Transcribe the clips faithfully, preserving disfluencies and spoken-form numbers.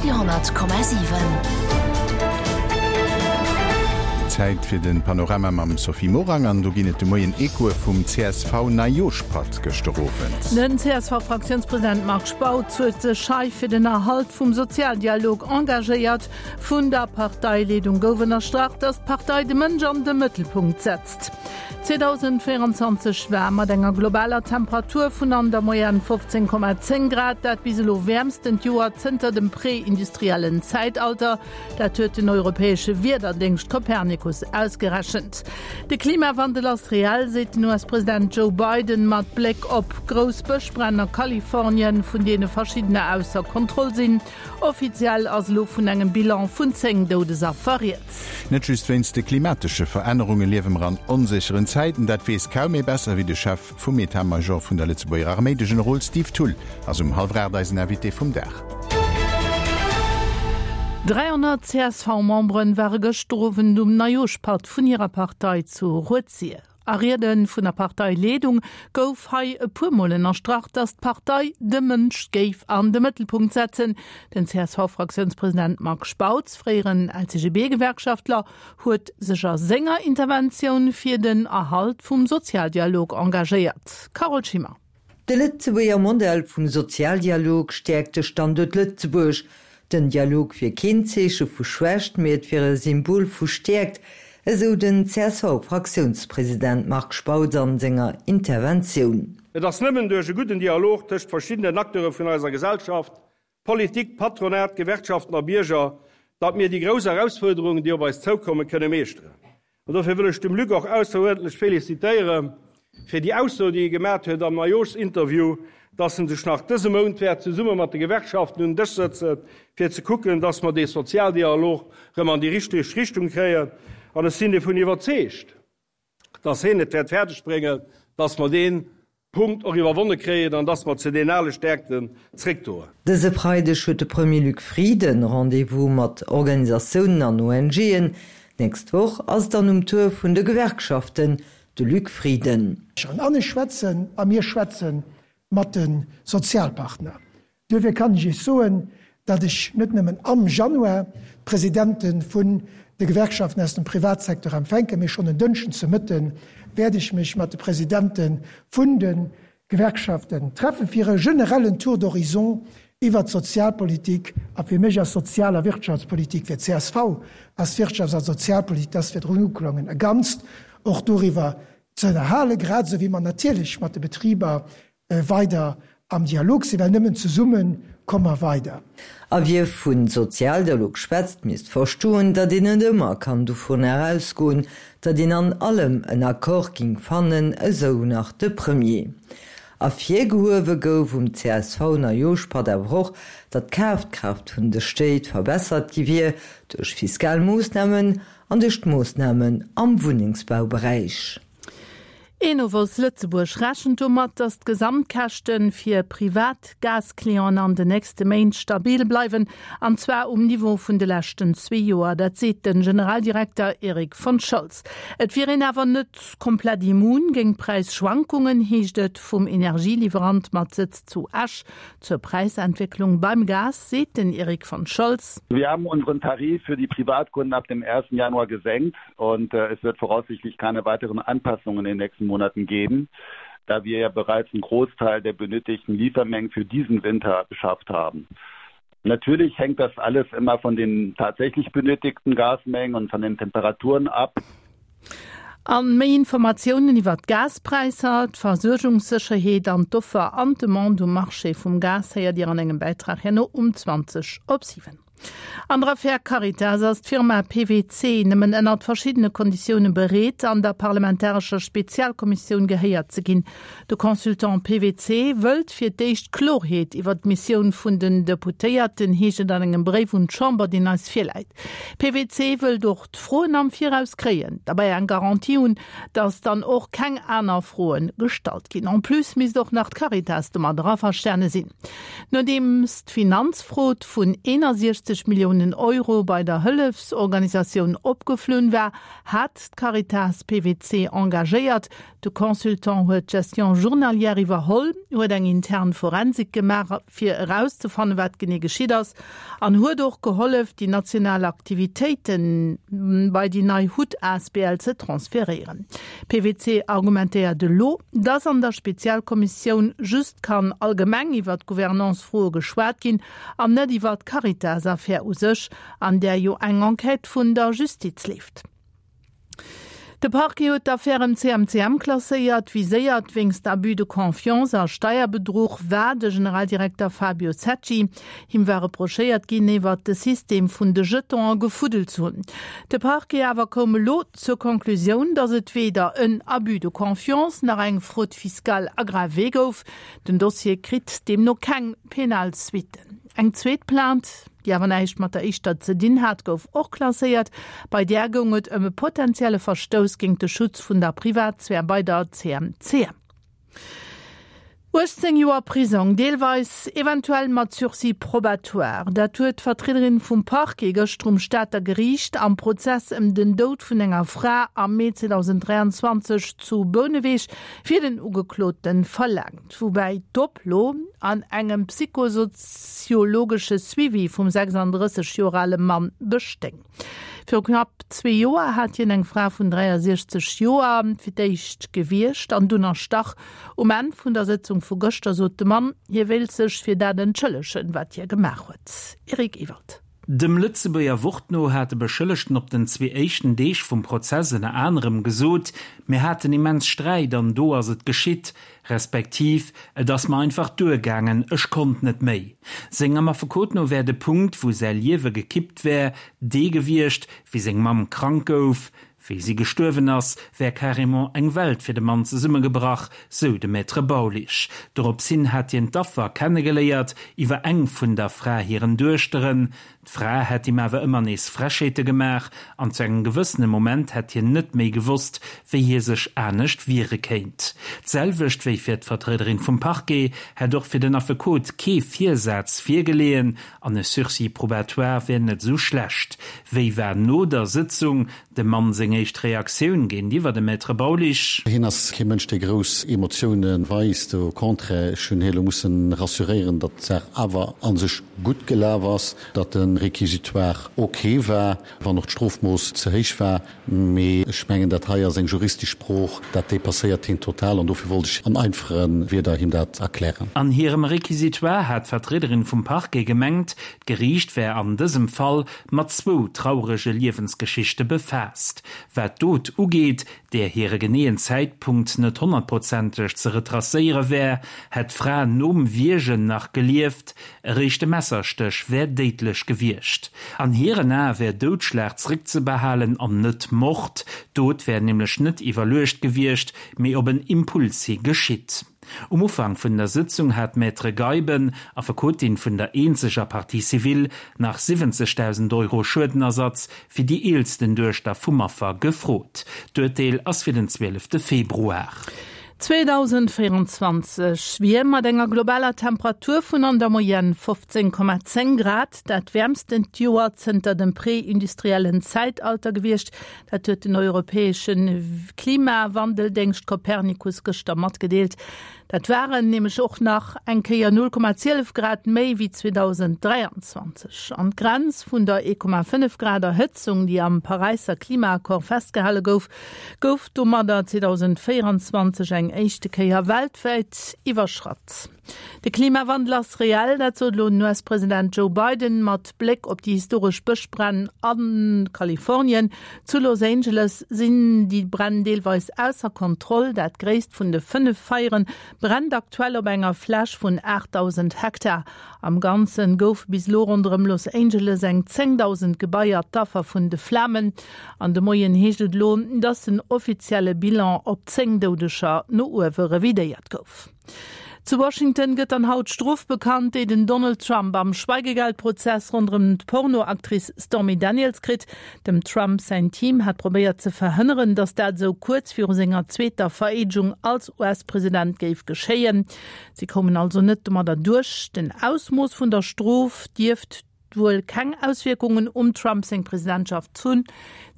Radio honnert Komma siwen. Zäit fir den Panorama mam Sophie Morang an do ginn et de Moien Echoe vum C S V-Neijooschpatt gëschter Owend. Den C S V-Fraktiounspresident Marc Spautz huet sech hei fir den Erhalt vum Sozialdialog engagéiert. Vun der Parteileedung gouf ënnerstrach, datt d'Partei de Mënsch an de Mëttelpunkt setzt. zweedausendvéierenzwanzeg war mat enger globaler Temperatur vun an der Moyenne fofzéng Komma zéng Grad dat bis elo wäermstent Joer zënter dem prä-industriellen Zäitalter. Dat huet den europäesche Wiederdéngscht Copernicus ausgerechent. De Klimawandel ass reell, seet den U S-President Joe Biden mat Bléck op grouss Bëschbränn a Kalifornien, vun deene verschiddener ausser Kontroll sinn. Offiziell ass elo vun engem Bilan vun zéng Doudesaffer rieds. Net just wéinst de klimatesche Verännerunge liewe mer an onsécheren Zäiten. Dat weess kaum ee besser wéi de Chef vum Etat-Major vun der Lëtzebuerger Arméi, de Generol Steve Thull ass um hallwer aacht eisen Invité vum Dag. dräihonnert C S V-Memberen ware gëschter Owend um Neijooschpatt vun hirer Partei zu Rued-Sir. A Riede vun der Parteileedung gouf hei e puer Mol ënnerstrach, datt d'Partei de Mënsch géif an de Mëttelpunkt setzen. Den C S V-Fraktiounspresident Marc Spautz, fréieren L C G B-Gewerkschaftler, huet sech a senger Interventioun fir den Erhalt vum Sozialdialog engagéiert. Carole Schimmer. De Lëtzebuerger Modell vum Sozialdialog stäerkt de Standuert Lëtzebuerg. Den Dialog wier keen Zeeche vu Schwächt, mee et wier e Symbol vu Stäerkt, esou den C S V-Fraktiounspresident Marc Spautz an senger Interventioun. Et ass nëmmen duerch e gudden Dialog tëscht verschiddenen Acteure vun eiser Gesellschaft, Politik, Patronat, Gewerkschaften a Bierger, datt mir déi grouss Erausfuerderungen, déi op eis zoukommen, kënne meeschteren. An dofir wëll ech dem Luc och ausseruerdentlech felicitéiere fir déi Ausso, déi e gemaach huet am Neijooschinterview, dass en sech nach dëse Mount wäert zesumme mat de Gewerkschaften un den Dësch sëtzen, fir ze kucken, dass mer dee Sozialdialog rëm an déi richteg Richtung kréien. An ech sinn dovun iwwerzeegt, dass hien et wäert fäerdeg bréngen, dass mer dee Punkt och iwwerwonne kréien an dass mer zu den ale Stäerkten zréckdoen. Dëse Freideg huet de Premier Luc Frieden Rendez-vous mat Organisatiounen an O N G'en. D'nächst Woch ass dann um Tour vun de Gewerkschaften, de Luc Frieden. An ech schwätzen a mir schwätze mat de Sozialpartner. Duerfir kann ech Iech soen, datt ech net nëmmen am Januar d'Presidente vun de Gewerkschaften aus dem Privatsecteur empfänken, mee schonn en Dënschden ze Mëtte wäert ech mech mat de Presidente vun de Gewerkschaften treffen fir e generellen Tour d'horizon iwwer d'Sozialpolitik. A fir mech ass Sozial a Wirtschaftspolitik, fir d'C S V ass Wirtschafts a Sozialpolitik, dat ass virdrun uklongen, e Ganzt, och doriwwer ze ënnerhalen, grad esou wéi mer natierlech mat de Betriber weider am Dialog sinn, well nëmmen zesumme komme mer weider. A wie vu Sozialdialog schwätzt, misst verstoen, datt een net ëmmer kann dovun ausgoen, datt een an allem en Accord géing fannen, esou nach de Premier. Ervirgehuewe gouf um C S V-Neijooschpatt awer och, datt d'Kafkraaft vun de Stéit verbessert gi wier duerch fiskal Moossnamen an duerch d'Moossnamen am Wunnengsbauberäich. Enovos Lëtzebuerg rechent domat, datt d'Gesamtkäschte fir privat Gasclienten an den nächste Méint stabil bleiwen, an zwar um Niveau vun de leschten zwee Joer. Dat seet den Generaldirekter Erik von Scholz. Et wier een awer net komplett immun géint Präisschwankungen, heescht et vum Energieliwwerant mat Sëtz zu Esch. Zur Präisentwécklung beim Gas seet den Erik von Scholz. Wir haben unseren Tarif für die Privatkunden ab dem ersten Januar gesenkt und äh, es wird voraussichtlich keine weiteren Anpassungen in den nächsten Monaten geben, da wir ja bereits einen Großteil der benötigten Liefermengen für diesen Winter beschafft haben. Natürlich hängt das alles immer von den tatsächlich benötigten Gasmengen und von den Temperaturen ab. An méi Informatiounen iwwer d'Gaspräisser, d'Versuergungssécherheet an d'Offer an d'Demande um Marché vum Gas héiert Dir an engem Bäitrag herno um zwanzeg op siwen. An der Affär Caritas ass d'Firma P W C nëmmen ënner verschiddene Konditioune bereet, an der parlamentarescher Spezialkommissioun gehéiert ze ginn. De Consultant P W C wëllt fir d'éischt Kloerheet iwwer d'Missioun vun den Deputéierten, heescht et an engem Bréif un d'Chamber, deen eis virläit. P W C wëllt och d'Froen am Viraus kréien, dobäi eng Garantie hunn, datt dann och keng aner Froe gestallt ginn. En plus misst och nach d'Caritas domat averstane sinn. Nodeems d'Finanzfrod vun eenundsechzeg siwzeg Milliounen Euro bei der Hëllefsorganisatioun opgeflunn war, hat d'Caritas P W C engagéiert. De Consultant huet d'Gestion journalière iwwerholl, huet eng intern Forensik gemaach, fir erauszefannen, wat genee geschitt ass, an huet och gehollef, déi national Aktivitéite bei déi nei H U T A S B L ze transferéieren. P W C argumentéiert elo, dass an der Spezialkommissioun just kann allgemeng iwwer d'Gouvernance-Froe geschwat ginn an net iwwer d'Caritas-Affär u sech, an där jo eng Enquête vun der Justiz leeft. De Parquet huet d'Affär ëm C M C M klasséiert. Viséiert wéinst Abus de confiance a Steierbedruch war de Generaldirekter Fabio Secci. Him war reprochéiert ginn, iwwer de System vun de Jetonen gefuddelt ze hunn. De Parquet awer koum elo zur Konklusioun, datt et weder en Abus de confiance nach eng Fraude fiscale aggravée gouf. Den Dossier kritt deemno keng penal Suitten. Eng zweet Plainte, déi awer näischt mat der éischter ze dinn hat, gouf och klasséiert. Bei där goung et ëm e potenzielle Verstouss géint de Schutz vun der Privatsphär bei der C M C M. uechtzéng Joer Prisong, deelweis eventuell mat Sursis probatoire. Dat huet d'Vertriederin vum Parquet gëschter um Stater Geriicht am Prozess ëm den Doud vun enger Fra am Mee zweedausend dräianzwanzeg zu Bouneweg fir den Ugeklote verlaangt. Woubäi d'Oplo an engem psychosoziologesche Suivi vum sechsandrësseg Joer ale Mann bestéing. Viru knapp zwee Joer hat hien eng Fra vun dräiasiechzeg Joer fir d'éischt gewiergt an dunn erstach. Um Enn vun der Sëtzung vu gëschter sot de Mann, hie wéilt sech fir dat entschëllegen, wat hie gemaach huet. Eric Ewald. Dem Lëtzebuerger Wort no hat de Beschëllegten op den zwee éischten Deeg vum Prozess ënner anerem gesot, mir haten immens Sträit an do ass et geschitt, respektiv et ass mer einfach duergaangen, ech konnt net méi. Sengem Affekot no wär de Punkt, wou säi Liewe gekippt wär, dee gewiescht, wéi seng Mamm krank gouf. Wéi si gestuerwen ass, wär carrément eng Welt fir de Mann zesummegebrach, sou de Maître Baulisch. Dorops hin hat hien d'Affer kennegeléiert iwwer eng vun der Fra hiren Duechteren. D'Fra hätt him awer ëmmer nees Frechheete gemaach an zu engem gewëssene Moment hätt hien net méi gewosst, wéi hie sech anescht wiere kéint. D'selwecht wéi fir d'Vertriederin vum Parquet hätt och fir den Affekot kee Virsaz virgeleeën an e Sursis probatoire wär net sou schlecht. Wéi war no der Sëtzung dem Mann seng éischt Reaktioun géintiwwer dem Maître Baulisch? Hien ass kee Mënsch, dee grouss Emotioune weist, au contraire, ech hunn hie lo musse rassuréieren, datt d'Saach awer a sech gutt gelaf ass, datt de Réquisitoire ok war, wann och d'Strofmooss ze héich war. Mee ech mengen, dat hei ass eng juristesch Sprooch, dat depasséiert hien total an dofir wollt ech an einfache Wierder him dat erklären. An hirem Réquisitoire hat d'Vertriederin vum Parquet gemengt, d'Geriicht wär an dësem Fall mat zwou traurege Liewensgeschichte befaasst. Wat d'Dot ugeet, där hire geneeën Zäitpunkt net honnertprozenteg ze retracéiere wär, hätt d'Fra nom Wiergen nach gelieft, eréischt de Messerstéch wär déidlech gewiescht. An hiren Ae wär Doudschlag zréckzebehalen an net Mord. D'Dot wär nämlech net iwwerluecht gewiescht, mee op en Impuls hi geschitt. Um Ufank vun der Sëtzung hat d'Maître Geiben, Affekotin vun der eenzeger Partie civile, nach siwwenzegdausend Euro Schuedenersatz fir déi eelsten Duechter vum Affer gefrot. D'Urteel ass fir den zwielefte Februar. zweedausendvéieranzwanzeg wier mat enger globaler Temperatur vun an der Moyenne fofzéng Komma zéng Grad dat wäermstent Joer zënter dem prä-industriellen Zäitalter gewiescht. Dat huet den europäesche Klimawandeldéngscht Copernicus gëschter matgedeelt. Dat waren nämlech och nach eng Kéier null Komma zwielef Grad méi wéi zweedausend dräianzwanzeg. An d'Grenz vun der ee Komma fënnef Grad Erhëtzung, déi am Paräisser Klimaaccord festgehale gouf, gouf domadder zweedausend véieranzwanzeg eng éischte Kéier weltwäit iwwerschratt. De Klimawandel ass reell, dat sot elo den U S-President Joe Biden mat Bléck op déi historesch Bëschbränn a Kalifornien. Zu Los Angeles sinn déi Bränn deelweis ausser Kontroll. Dat gréisst vun de fënnef Feiere brennt aktuell op enger Fläch vun aachtdausend Hektar. Am Ganze goufe bis elo ronderëm Los Angeles eng zéngdausend Gebaier d'Affer vun de Flamen. An de Moien heescht et elo, datt den offizielle Bilan op zéng Doudeger no uewe revidéiert gouf. Zu Washington gëtt dann haut d'Strof bekannt, déi den Donald Trump am Schweigegeldprozess ronderëm d'Pornoactrice Stormy Daniels kritt. Dem Trump säin Team hat probéiert ze verhënneren, datt dat sou kuerz viru senger zweeter Vereedegung als U S-President géif geschéien. Si koumen also net domadder duerch. Den Ausmooss vun der Strof dierft wuel keng Auswierkungen um Trump seng Presidentschaft hunn,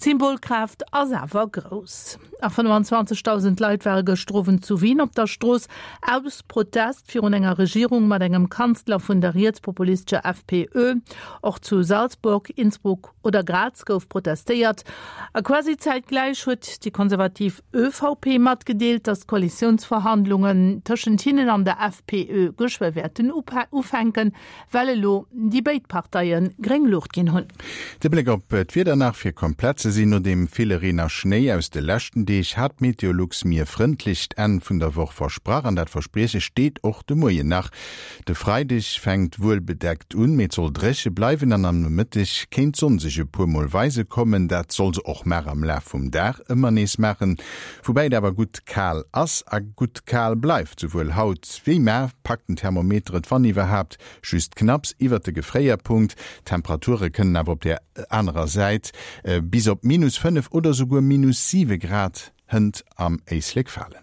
d'Symbolkraaft ass awer grouss. A fënnefenzwanzegdausend Leit ware gëschter Owend zu Wien op der Strooss aus Protest virun enger Regierung mat engem Kanzler vun der rietspopulistescher F P Ö. Och zu Salzburg, Innsbruck oder Graz gouf protestéiert. A quasi zäitgläich huet déi konservativ Ö V P matgedeelt, datt d'Koalitiounsverhandlungen tëschent hinnen an der F P Ö geschwë wäerten ufänken, well elo déi béid Parteie gréng Luucht ginn hunn. De Bléck op d'Wieder nach, fir komplett ze sinn, No deem ville Reen a Schnéi aus de leschten Deeg hat Meteolux mir e frëndlecht Enn vun der Woch versprach an dat Versprieche steet och de Moien nach. De Freideg fänkt wuel bedeckt un, mee et soll dréche bleiwen an am Nomëtteg kéint d'Sonn sech e puer Mol weise kommen. Dat soll se och mar am Laf vum Dag ëmmer nees maachen, woubäi et awer gutt kal ass a gutt kal bleift. Souwuel haut wéi mar packt den Thermometer et wann iwwerhaapt just knapps iwwert de Gefréierpunkt. D'Temperature kënnen awer op der anerer Säit bis op minus fënnef oder souguer minus siwe Grad hënt am Éislek falen.